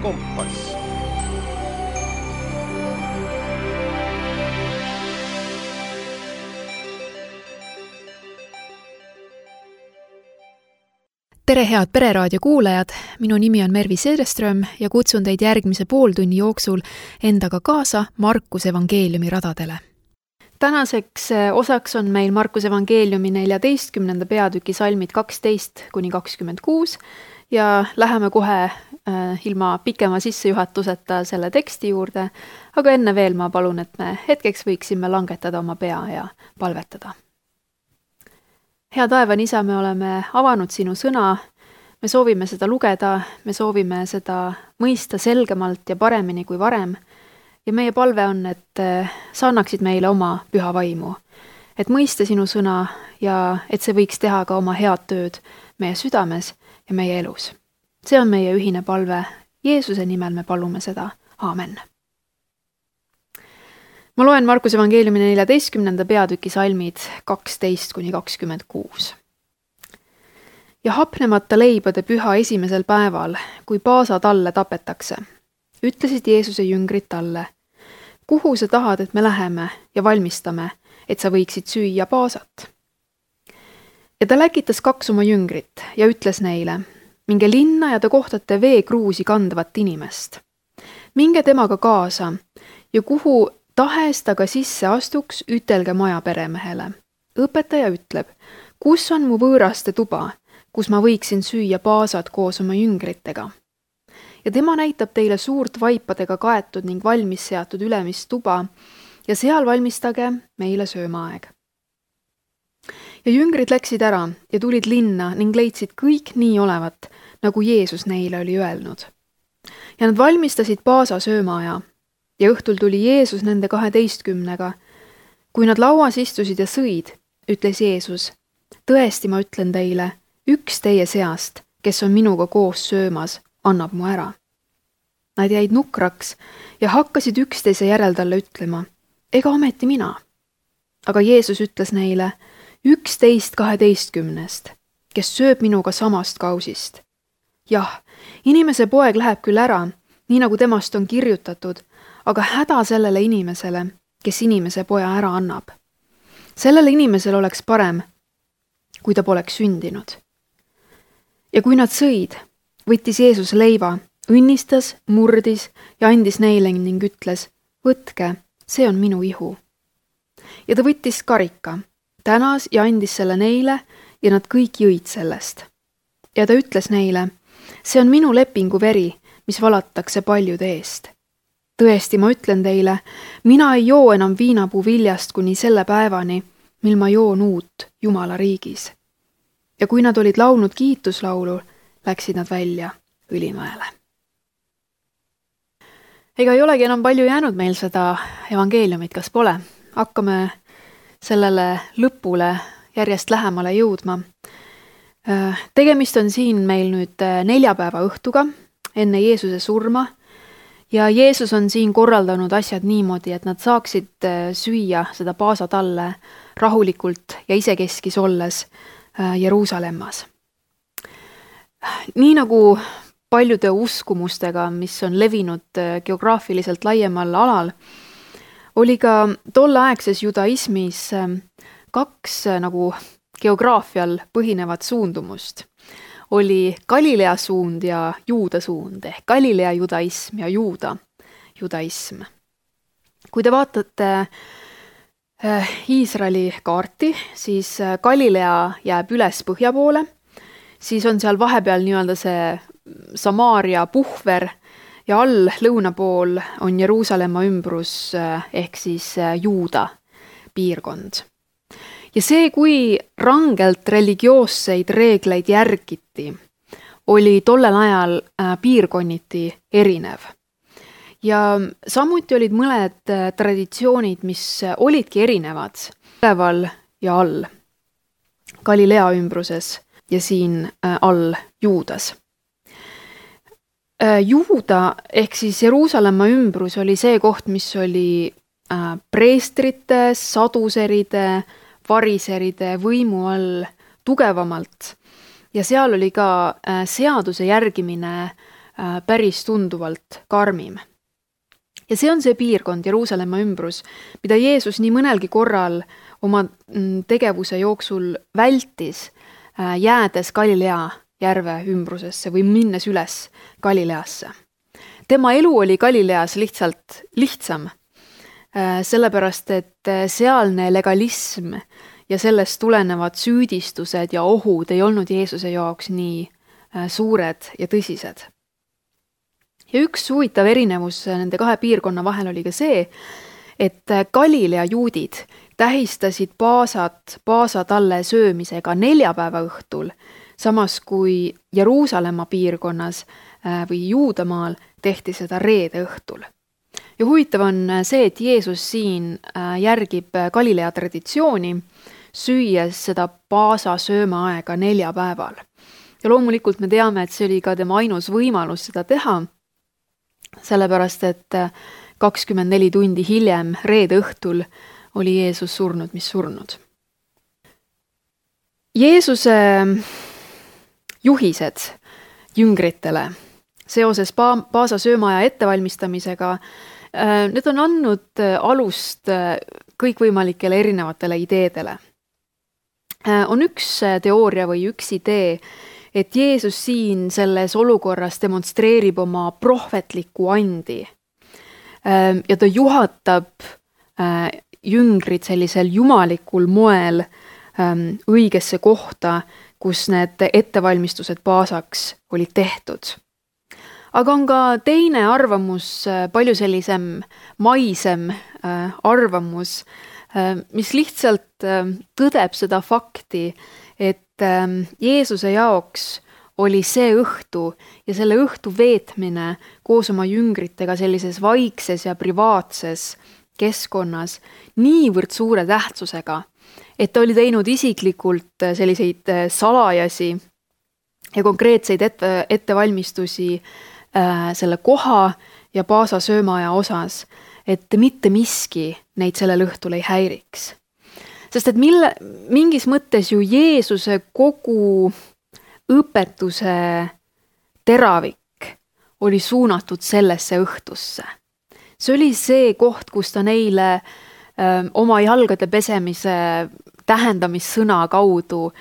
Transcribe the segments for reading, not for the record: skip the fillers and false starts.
kompass. Tere head Pereraadio kuulajad, minu nimi on Mervi Sedeström ja kutsun teid järgmise pooltunni jooksul endaga kaasa Markuse evangeeliumi radadele. Tänaseks osaks on meil Markuse evangeeliumi 14. peatüki salmid 12-26 ja läheme kohe ilma pikema sissejuhatuseta selle teksti juurde, aga enne veel ma palun, et me hetkeks võiksime langetada oma pea ja palvetada. Hea taevan isa, me oleme avanud sinu sõna, me soovime seda lugeda, me soovime seda mõista selgemalt ja paremini kui varem ja meie palve on, et sa annaksid meile oma püha vaimu, et mõista sinu sõna ja et see võiks teha ka oma head tööd meie südames ja meie elus. See on meie ühine palve, Jeesuse nimel me palume seda, aamen. Ma loen Markuse evangeeliumi 14. peatüki salmid 12-26. Ja hapnemata leibade püha esimesel päeval, kui paasatalle tapetakse, ütlesid Jeesuse jüngrid talle, kuhu sa tahad, et me läheme ja valmistame, et sa võiksid süüa paasat. Ja ta läkitas 2 oma jüngrit ja ütles neile, minge linna ja te kohtate veekruusi kandvat inimest. Minge temaga kaasa ja kuhu tahes ta ka sisse astuks, ütelge maja peremehele. Õpetaja ütleb, kus on mu võõraste tuba, kus ma võiksin süüa paasad koos oma jüngritega. Ja tema näitab teile suurt vaipadega kaetud ning valmis seatud ülemist tuba ja seal valmistage meile söömaaeg. Ja jüngrid läksid ära ja tulid linna ning leidsid kõik nii olevat, nagu Jeesus neile oli öelnud. Ja nad valmistasid paasa söömaaja. Ja õhtul tuli Jeesus nende 12-ga. Kui nad lauas istusid ja sõid, ütles Jeesus, tõesti ma ütlen teile, üks teie seast, kes on minuga koos söömas, annab mu ära. Nad jäid nukraks ja hakkasid üksteise järel talle ütlema, ega ometi mina. Aga Jeesus ütles neile, 11 12, kes sööb minuga samast kausist. Jah, inimese poeg läheb küll ära, nii nagu temast on kirjutatud, aga häda sellele inimesele, kes inimese poja ära annab. Sellele inimesel oleks parem, kui ta poleks sündinud. Ja kui nad sõid, võttis Jeesus leiva, õnnistas, murdis ja andis neile ning ütles, võtke, see on minu ihu. Ja ta võttis karika, tänas ja andis selle neile ja nad kõik jõid sellest. Ja ta ütles neile, see on minu lepingu veri, mis valatakse paljude eest. Tõesti, ma ütlen teile, mina ei joo enam viinapuu viljast kuni selle päevani, mil ma joon uut Jumala riigis. Ja kui nad olid laulnud kiituslaulu, läksid nad välja Õlimäele. Ega ei olegi enam palju jäänud meil seda evangeeliumit, kas pole? Hakkame sellele lõpule järjest lähemale jõudma. Tegemist on siin meil nüüd 4 päeva õhtuga enne Jeesuse surma ja Jeesus on siin korraldanud asjad niimoodi, et nad saaksid süüa seda paasatalle rahulikult ja isekeskis olles Jeruusalemmas. Nii nagu paljude uskumustega, mis on levinud geograafiliselt laiemal alal, oli ka tolleaegses judaismis 2 nagu geograafial põhinevat suundumust. Oli Galilea suund ja Juuda suund ehk Galilea judaism ja Juuda judaism. Kui te vaatate Iisraeli kaarti, siis Galilea jääb üles põhja poole, siis on seal vahepeal nii-öelda see Samaaria puhver ja all lõuna pool on Jeruusalemma ümbrus ehk siis Juuda piirkond. Ja see, kui rangelt religioosseid reegleid järgiti, oli tollel ajal piirkonniti erinev. Ja samuti olid mõned traditsioonid, mis olidki erinevad üleval ja all Galilea ümbruses ja siin all Juudas. Juuda ehk siis Jeruusalemma ümbrus oli see koht, mis oli preestrite, saduseride, variseride võimu all tugevamalt ja seal oli ka seaduse järgimine päris tunduvalt karmim. Ja see on see piirkond, Jeruusalemma ümbrus, mida Jeesus nii mõnelgi korral oma tegevuse jooksul vältis, jäädes Galilea järve ümbrusesse või minnes üles Galileasse. Tema elu oli Galileas lihtsalt lihtsam, sellepärast et sealne legalism ja sellest tulenevad süüdistused ja ohud ei olnud Jeesuse jaoks nii suured ja tõsised. Ja üks huvitav erinevus nende kahe piirkonna vahel oli ka see, et Galilea juudid tähistasid paasatalle söömisega neljapäeva õhtul, samas kui Jeruusalemma piirkonnas või Juudamaal tehti seda reede õhtul. Ja huvitav on see, et Jeesus siin järgib Galilea traditsiooni, süües seda paasa söömaaega neljapäeval. Ja loomulikult me teame, et see oli ka tema ainus võimalus seda teha, sellepärast et 24 tundi hiljem, reede õhtul, oli Jeesus surnud, mis surnud. Jeesuse juhised jüngritele seoses paasa söömaaja ettevalmistamisega, need on andnud alust kõikvõimalikele erinevatele ideedele. On üks teooria või üks idee, et Jeesus siin selles olukorras demonstreerib oma prohvetlikku andi ja ta juhatab jüngrid sellisel jumalikul moel õigesse kohta, kus need ettevalmistused paasaks olid tehtud. Aga on ka teine arvamus, palju sellisem maisem arvamus, mis lihtsalt tõdeb seda fakti, et Jeesuse jaoks oli see õhtu ja selle õhtu veetmine koos oma jüngritega sellises vaikses ja privaatses keskkonnas niivõrd suure tähtsusega, et ta oli teinud isiklikult selliseid salajasi ja konkreetseid ettevalmistusi selle koha ja paasa söömaaja osas, et mitte miski neid sellel õhtul ei häiriks. Sest et mingis mõttes ju Jeesuse kogu õpetuse teravik oli suunatud sellesse õhtusse. See oli see koht, kus ta neile oma jalgade pesemise tähendamissõna kaudu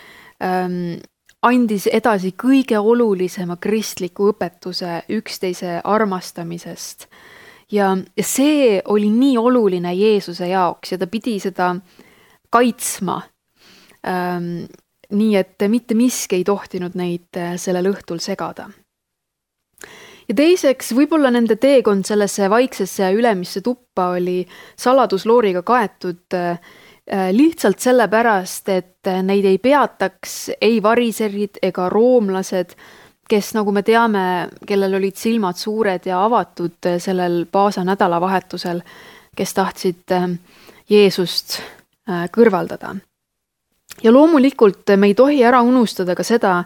andis edasi kõige olulisema kristliku õpetuse üksteise armastamisest. Ja see oli nii oluline Jeesuse jaoks ja ta pidi seda kaitsma, nii et mitte miski ei tohtinud neid sellel õhtul segada. Ja teiseks, võib-olla nende teekond sellesse vaiksesse ja ülemisse tuppa oli saladuslooriga kaetud lihtsalt sellepärast, et neid ei peataks ei variserid ega roomlased, kes, nagu me teame, kellel olid silmad suured ja avatud sellel paasa nädalavahetusel, kes tahtsid Jeesust kõrvaldada. Ja loomulikult me ei tohi ära unustada ka seda,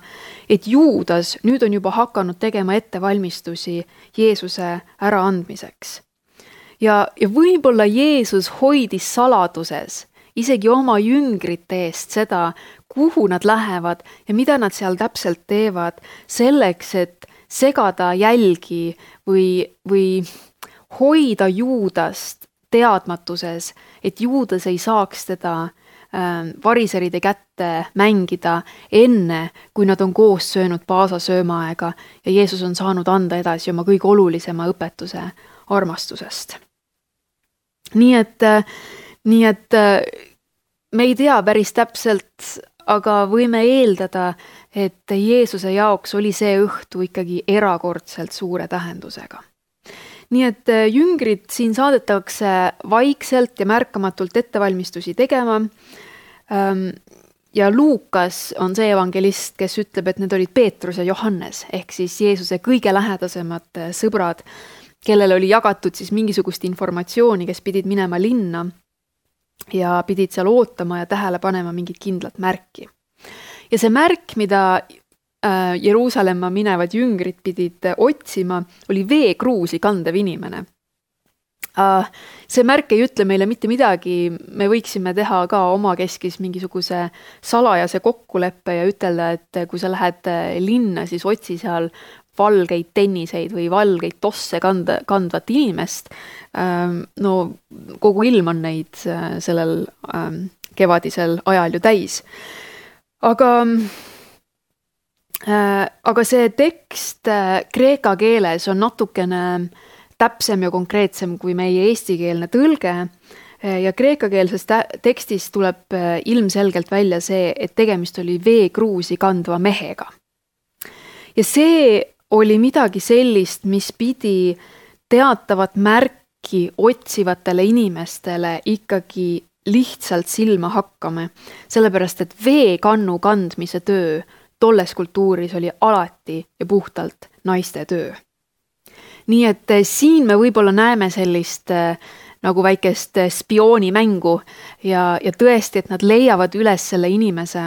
et Juudas nüüd on juba hakanud tegema ettevalmistusi Jeesuse äraandmiseks. Ja võib-olla Jeesus hoidis saladuses isegi oma jüngrite eest seda, kuhu nad lähevad ja mida nad seal täpselt teevad, selleks, et segada jälgi või hoida Juudast teadmatuses, et Juudas ei saaks teda variseride kätte mängida enne, kui nad on koos söönud paasa söömaaega ja Jeesus on saanud anda edasi oma kõige olulisema õpetuse armastusest. Nii et me ei tea päris täpselt, aga võime eeldada, et Jeesuse jaoks oli see õhtu ikkagi erakordselt suure tähendusega. Nii et jüngrid siin saadetakse vaikselt ja märkamatult ettevalmistusi tegema. Ja Luukas on see evangelist, kes ütleb, et need olid Peetrus ja Johannes, ehk siis Jeesuse kõige lähedasemad sõbrad, kellel oli jagatud siis mingisugust informatsiooni, kes pidid minema linna ja pidid seal ootama ja tähele panema mingit kindlat märki. Ja see märk, mida Jeruusalemma minevad jüngrid pidid otsima, oli veekruusi kandev inimene. See märk ei ütle meile mitte midagi, me võiksime teha ka omakeskis mingisuguse salajase kokkuleppe ja ütelda, et kui sa lähed linna, siis otsi seal valgeid tenniseid või valgeid tosse kandvat inimest. No kogu ilm on neid sellel kevadisel ajal ju täis. Aga see tekst kreeka keeles on natukene täpsem ja konkreetsem kui meie eestikeelne tõlge ja kreekakeelses tekstis tuleb ilmselgelt välja see, et tegemist oli veekruusi kandva mehega. Ja see oli midagi sellist, mis pidi teatavat märki otsivatele inimestele ikkagi lihtsalt silma hakkama, sellepärast et veekannu kandmise töö tolles kultuuris oli alati ja puhtalt naiste töö. Nii et siin me võib-olla näeme sellist nagu väikest spioonimängu ja tõesti, et nad leiavad üles selle inimese,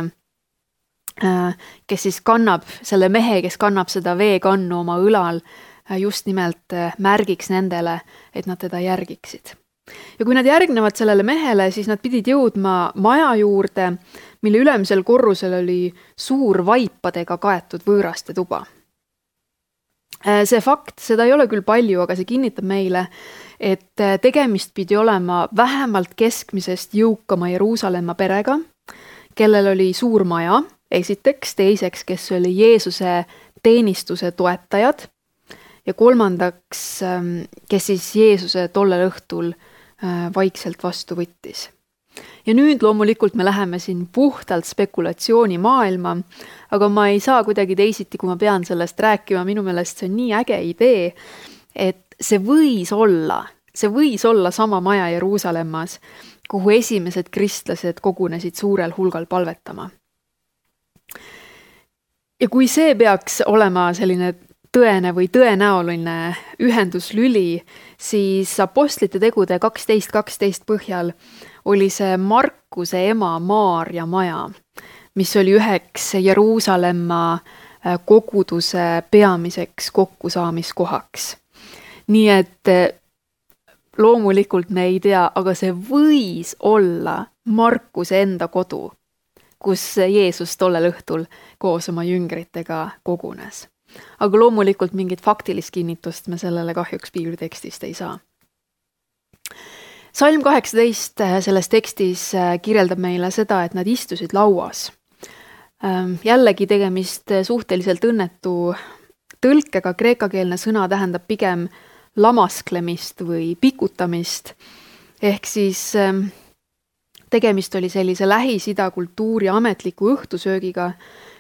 kes siis kannab, selle mehe, kes kannab seda veekannu oma õlal, just nimelt märgiks nendele, et nad teda järgiksid. Ja kui nad järgnevad sellele mehele, siis nad pidid jõudma maja juurde, mille ülemisel korrusel oli suur vaipadega kaetud võõraste tuba. See fakt, seda ei ole küll palju, aga see kinnitab meile, et tegemist pidi olema vähemalt keskmisest jõukama Jeruusalemma perega, kellel oli suur maja, esiteks, teiseks, kes oli Jeesuse teenistuse toetajad ja kolmandaks, kes siis Jeesuse tollel õhtul vaikselt vastu võttis. Ja nüüd loomulikult me läheme siin puhtalt spekulatsiooni maailma, aga ma ei saa kuidagi teisiti, kui ma pean sellest rääkima, minu meelest see on nii äge idee, et see võis olla sama maja Jeruusalemmas, kuhu esimesed kristlased kogunesid suurel hulgal palvetama. Ja kui see peaks olema selline tõene või tõenäoline ühenduslüli, siis Apostlite tegude 12.12 põhjal oli see Markuse ema Maarja maja, mis oli üheks Jeruusalemma koguduse peamiseks kokkusaamiskohaks. Nii et loomulikult me ei tea, aga see võis olla Markuse enda kodu, kus Jeesus tollel õhtul koos oma jüngritega kogunes. Aga loomulikult mingit faktilist kinnitust me sellele kahjuks piiblitekstist ei saa. Salm 18 selles tekstis kirjeldab meile seda, et nad istusid lauas. Jällegi tegemist suhteliselt õnnetu tõlkega, kreekakeelne sõna tähendab pigem lamasklemist või pikutamist. Ehk siis tegemist oli sellise Lähis-Ida kultuuri ametliku õhtusöögiga,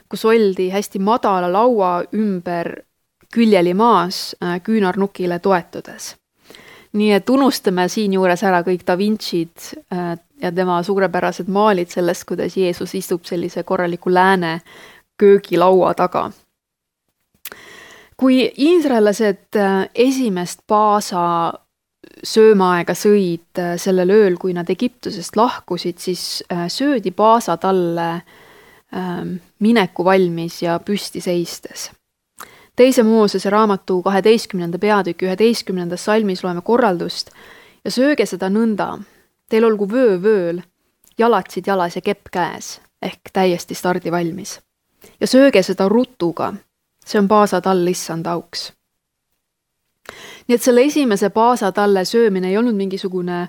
kus oldi hästi madala laua ümber küljeli maas küünarnukile toetudes. Nii et unustame siin juures ära kõik Da Vincid ja tema suurepärased maalid sellest, kuidas Jeesus istub sellise korraliku lääne köögilaua taga. Kui iisraellased esimest paasa söömaaega sõid sellel ööl, kui nad Egiptusest lahkusid, siis söödi paasa talle mineku valmis ja püsti seistes. Teise Moosese raamatu 12. peatüki 11. salmis loeme korraldust ja sööge seda nõnda. Teil olgu vöö vööl, jalatsid jalas ja kepp käes, ehk täiesti stardi valmis. Ja sööge seda rutuga, see on paasatall issand auks. Nii et selle esimese paasatalle söömine ei olnud mingisugune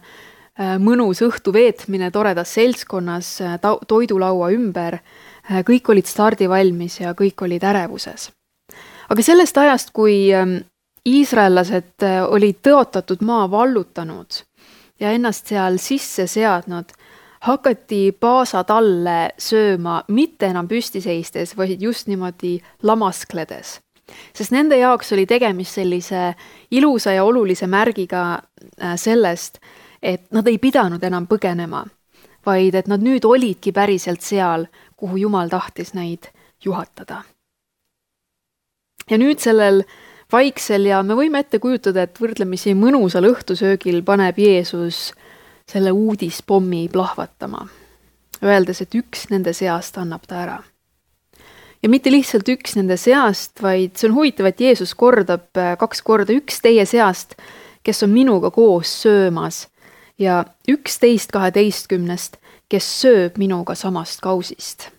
mõnus õhtu veetmine toredas seltskonnas toidulaua ümber, kõik olid stardi valmis ja kõik olid ärevuses. Aga sellest ajast, kui iisraellased olid tõotatud maa vallutanud ja ennast seal sisse seadnud, hakati paasatalle sööma mitte enam püsti seistes, vaid just niimoodi lamaskledes. Sest nende jaoks oli tegemist sellise ilusa ja olulise märgiga sellest, et nad ei pidanud enam põgenema, vaid et nad nüüd olidki päriselt seal, kuhu Jumal tahtis neid juhatada. Ja nüüd sellel vaiksel ja me võime ette kujutada, et võrdlemisi mõnusal õhtusöögil paneb Jeesus selle uudispommi plahvatama, öeldes, et üks nende seast annab ta ära. Ja mitte lihtsalt üks nende seast, vaid see on huvitav, et Jeesus kordab 2 korda üks teie seast, kes on minuga koos söömas ja 11.12, kes sööb minuga samast kausist.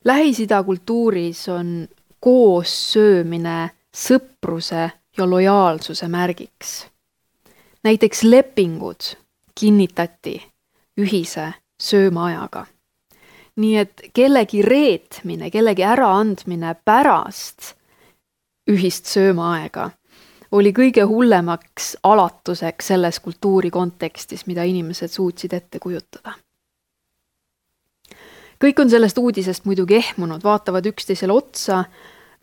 Lähis-Ida kultuuris on koos söömine sõpruse ja lojaalsuse märgiks. Näiteks lepingud kinnitati ühise söömaajaga. Nii et kellegi reetmine, kellegi äraandmine pärast ühist söömaaega oli kõige hullemaks alatuseks selles kultuuri kontekstis, mida inimesed suutsid ette kujutada. Kõik on sellest uudisest muidugi ehmunud, vaatavad üksteisele otsa,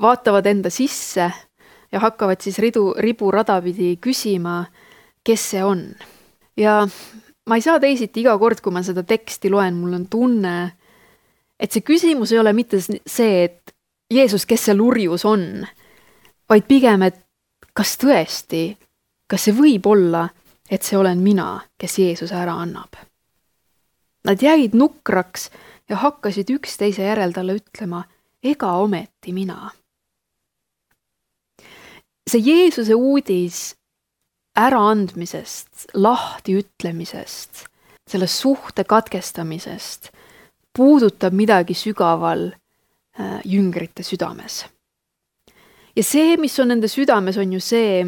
vaatavad enda sisse ja hakkavad siis ribu radapidi küsima, kes see on. Ja ma ei saa teisiti iga kord, kui ma seda teksti loen, mul on tunne, et see küsimus ei ole mitte see, et Jeesus, kes see lurjus on, vaid pigem, et kas tõesti, kas see võib olla, et see olen mina, kes Jeesuse ära annab. Nad jäid nukraks ja hakkasid üksteise järel talle ütlema, ega ometi mina. See Jeesuse uudis äraandmisest, lahti ütlemisest, selle suhte katkestamisest puudutab midagi sügaval jüngrite südames. Ja see, mis on nende südames, on ju see,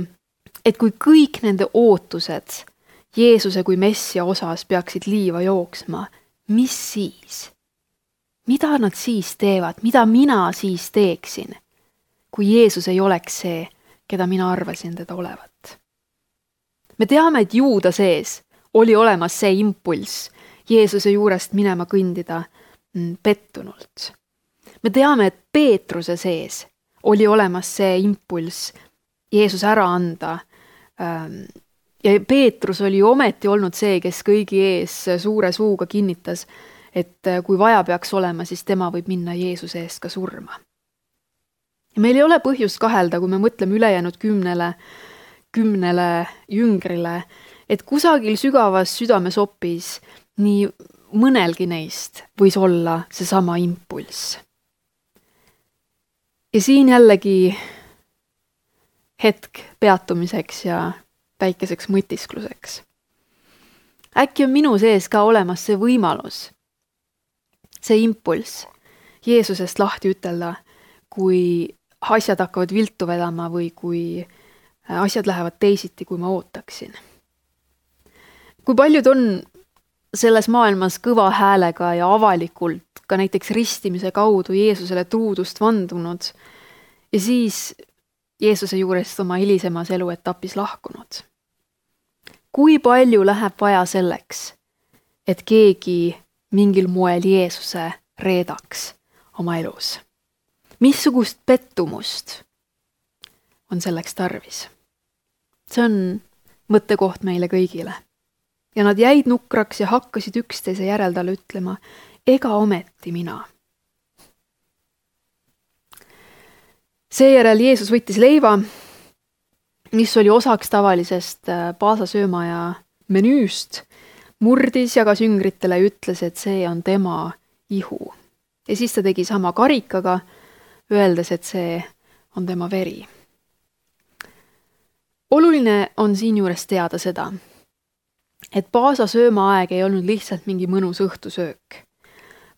et kui kõik nende ootused Jeesuse kui messia osas peaksid liiva jooksma, mis siis? Mida nad siis teevad? Mida mina siis teeksin, kui Jeesus ei oleks see, keda mina arvasin teda olevat? Me teame, et Juuda sees oli olemas see impulss Jeesuse juurest minema kõndida pettunult. Me teame, et Peetruse sees oli olemas see impulss Jeesus ära anda. Ja Peetrus oli ometi olnud see, kes kõigi ees suure suuga kinnitas, et kui vaja peaks olema, siis tema võib minna Jeesuse eest ka surma. Ja meil ei ole põhjust kahelda, kui me mõtleme ülejäänud kümnele jüngrile, et kusagil sügavas südamesopis nii mõnelgi neist võis olla seesama impulss. Ja siin jällegi hetk peatumiseks ja väikeseks mõtiskluseks. Äkki on minu sees ka olemas see võimalus, see impulss Jeesusest lahti ütelda, kui asjad hakkavad viltu vedama või kui asjad lähevad teisiti, kui ma ootaksin. Kui paljud on selles maailmas kõva häälega ja avalikult ka näiteks ristimise kaudu Jeesusele truudust vandunud ja siis Jeesuse juurest oma hilisemas eluetapis lahkunud. Kui palju läheb vaja selleks, et keegi mingil moel Jeesuse reedaks oma elus? Missugust pettumust on selleks tarvis? See on mõttekoht meile kõigile. Ja nad jäid nukraks ja hakkasid üksteise järel talle ütlema, ega ometi mina. Seejärel Jeesus võttis leiva, mis oli osaks tavalisest paasasöömaja menüüst, murdis, jagas jüngritele ja ütles, et see on tema ihu. Ja siis ta tegi sama karikaga, öeldes, et see on tema veri. Oluline on siin juures teada seda, et paasasöömaaeg ei olnud lihtsalt mingi mõnus õhtusöök,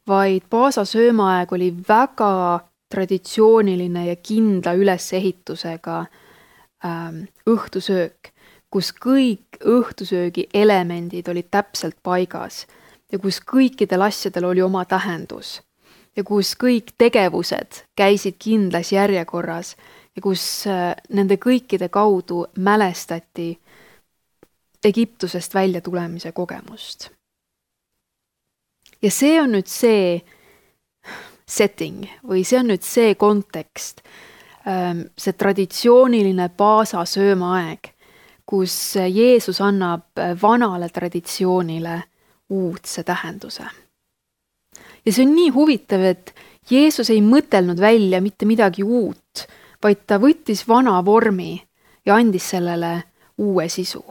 vaid paasasöömaaeg oli väga traditsiooniline ja kindla ülesehitusega õhtusöök, kus kõik õhtusöögi elemendid olid täpselt paigas ja kus kõikidel asjadel oli oma tähendus ja kus kõik tegevused käisid kindlas järjekorras ja kus nende kõikide kaudu mälestati Egiptusest välja tulemise kogemust. Ja see on nüüd see setting või see on nüüd see kontekst, see traditsiooniline paasasöömaaeg, kus Jeesus annab vanale traditsioonile uudse tähenduse. Ja see on nii huvitav, et Jeesus ei mõtelnud välja mitte midagi uut, vaid ta võttis vana vormi ja andis sellele uue sisu.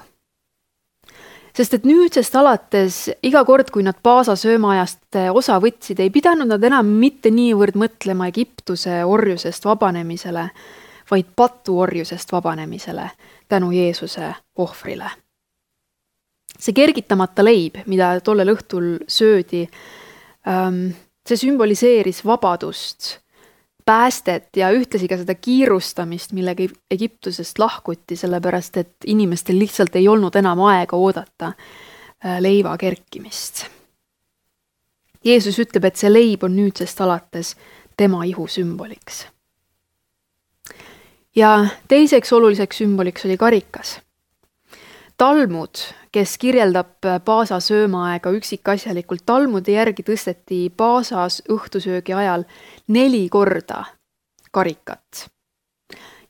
Sest et nüüdsest alates iga kord, kui nad paasasöömaajast osa võtsid, ei pidanud nad enam mitte niivõrd mõtlema Egiptuse orjusest vabanemisele, vaid patuorjusest vabanemisele tänu Jeesuse ohvrile. See kergitamata leib, mida tollel õhtul söödi, see sümboliseeris vabadust päästet ja ühtlasi ka seda kiirustamist, millega Egiptusest lahkuti, sellepärast et inimestel lihtsalt ei olnud enam aega oodata leiva kerkimist. Jeesus ütleb, et see leib on nüüdsest alates tema ihu sümboliks. Ja teiseks oluliseks sümboliks oli karikas. Talmud, kes kirjeldab Paasa söömaaega üksikasjalikult, Talmudi järgi tõsteti Paasas õhtusöögi ajal 4 korda karikat.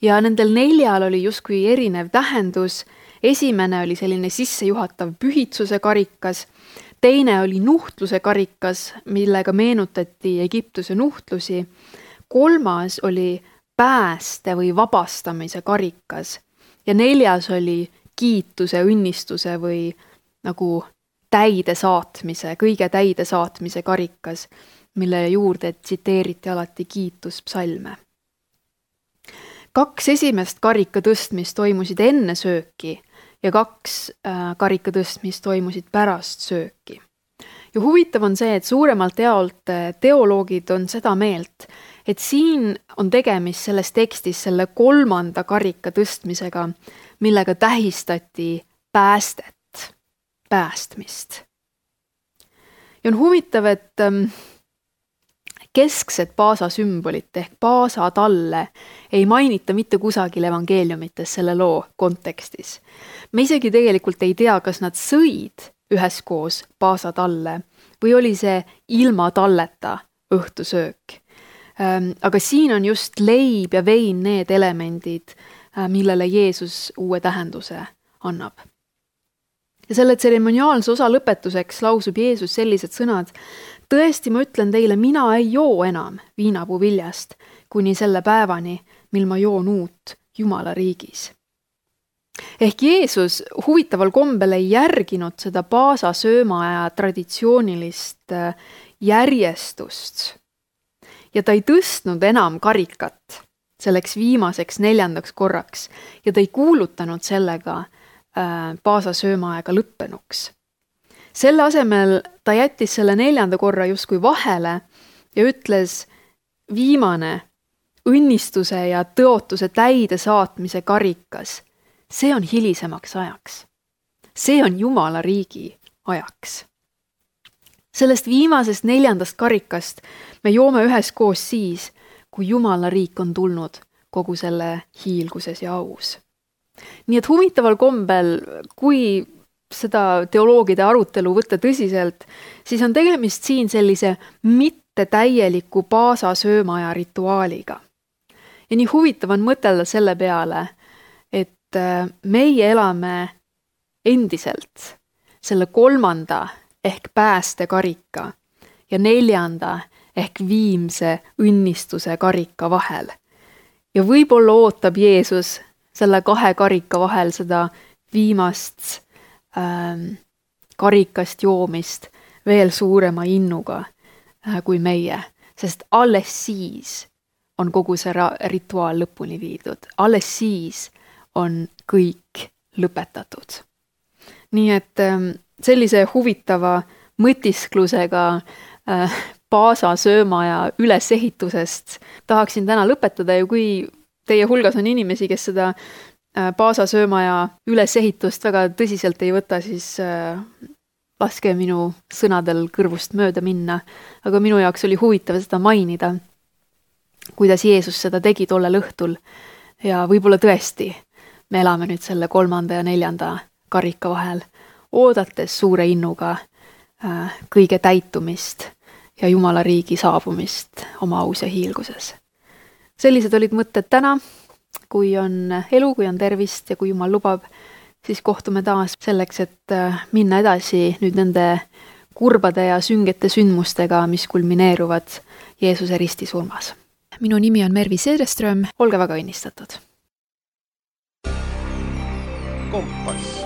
Ja nendel 4 oli justkui erinev tähendus. Esimene oli selline sissejuhatav pühitsuse karikas, teine oli nuhtluse karikas, millega meenutati Egiptuse nuhtlusi, 3. oli pääste või vabastamise karikas ja 4. oli kiituse, õnnistuse või nagu täidesaatmise, kõige täidesaatmise karikas, mille juurde tsiteeriti alati kiituspsalme. 2 esimest karika tõstmist toimusid enne sööki ja 2 karika tõstmist toimusid pärast sööki. Ja huvitav on see, et suuremalt jaolt teoloogid on seda meelt, et siin on tegemist selles tekstis selle 3. karika tõstmisega, millega tähistati päästmist. Ja on huvitav, et keskset Paasa sümbolit ehk Paasa talle ei mainita mitte kusagil evangeeliumites selle loo kontekstis. Me isegi tegelikult ei tea, kas nad sõid üheskoos Paasa talle või oli see ilma talleta õhtusöök. Aga siin on just leib ja vein need elemendid, millele Jeesus uue tähenduse annab. Ja selle tseremoniaalse osa lõpetuseks lausub Jeesus sellised sõnad: tõesti, ma ütlen teile, mina ei joo enam viinapuu viljast kuni selle päevani, mil ma joon uut Jumala riigis. Ehk Jeesus huvitaval kombel ei järginud seda Paasa söömaaja traditsioonilist järjestust ja ta ei tõstnud enam karikat selleks viimaseks 4. korraks ja ta ei kuulutanud sellega Paasa söömaaega lõppenuks. Selle asemel ta jättis selle 4. korra justkui vahele ja ütles: viimane õnnistuse ja tõotuse täide saatmise karikas, see on hilisemaks ajaks. See on Jumala riigi ajaks. Sellest viimasest 4. karikast me joome üheskoos siis, kui Jumala riik on tulnud kogu selle hiilguses ja aus. Nii et huvitaval kombel, kui seda teoloogide arutelu võtta tõsiselt, siis on tegemist siin sellise mittetäieliku Paasa söömaaja rituaaliga. Ja nii huvitav on mõtelda selle peale, et meie elame endiselt selle 3. ehk päästekarika ja 4. ehk viimse õnnistuse karika vahel. Ja võib-olla ootab Jeesus selle 2 karika vahel seda viimast karikast joomist veel suurema innuga kui meie, sest alles siis on kogu see rituaal lõpuni viidud. Alles siis on kõik lõpetatud. Nii et sellise huvitava mõtisklusega Paasa söömaaja ülesehitusest tahaksin täna lõpetada ja kui teie hulgas on inimesi, kes seda Paasa söömaaja ülesehitust väga tõsiselt ei võta, siis laske minu sõnadel kõrvust mööda minna. Aga minu jaoks oli huvitav seda mainida, kuidas Jeesus seda tegi tollel õhtul. Ja võib-olla tõesti me elame nüüd selle 3. ja 4. karika vahel, oodates suure innuga kõige täitumist ja Jumala riigi saabumist oma aus ja hiilguses. Sellised olid mõtted täna. Kui on elu, kui on tervist ja kui Jumal lubab, siis kohtume taas selleks, et minna edasi nüüd nende kurbade ja süngete sündmustega, mis kulmineeruvad Jeesuse ristisurmas. Minu nimi on Mervi Seereström, olge väga õnnistatud. Kompass.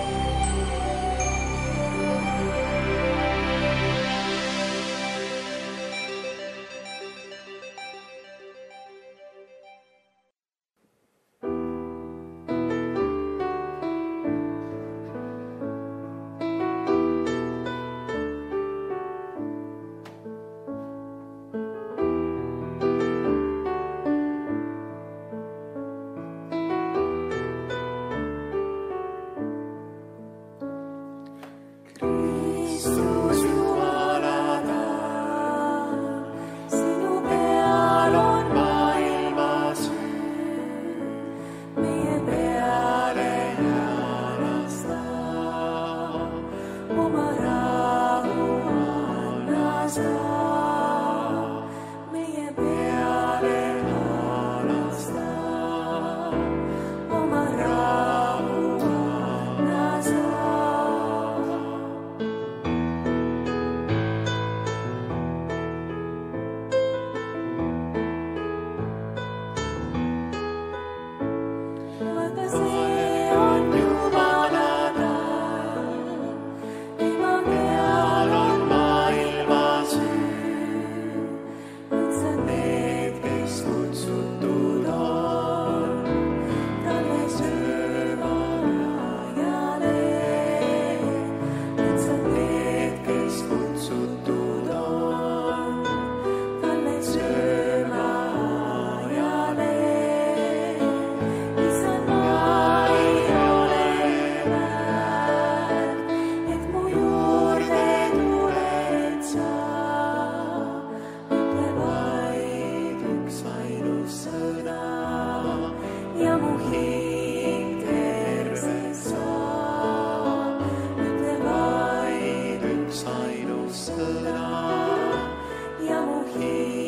kõlas ja mu hing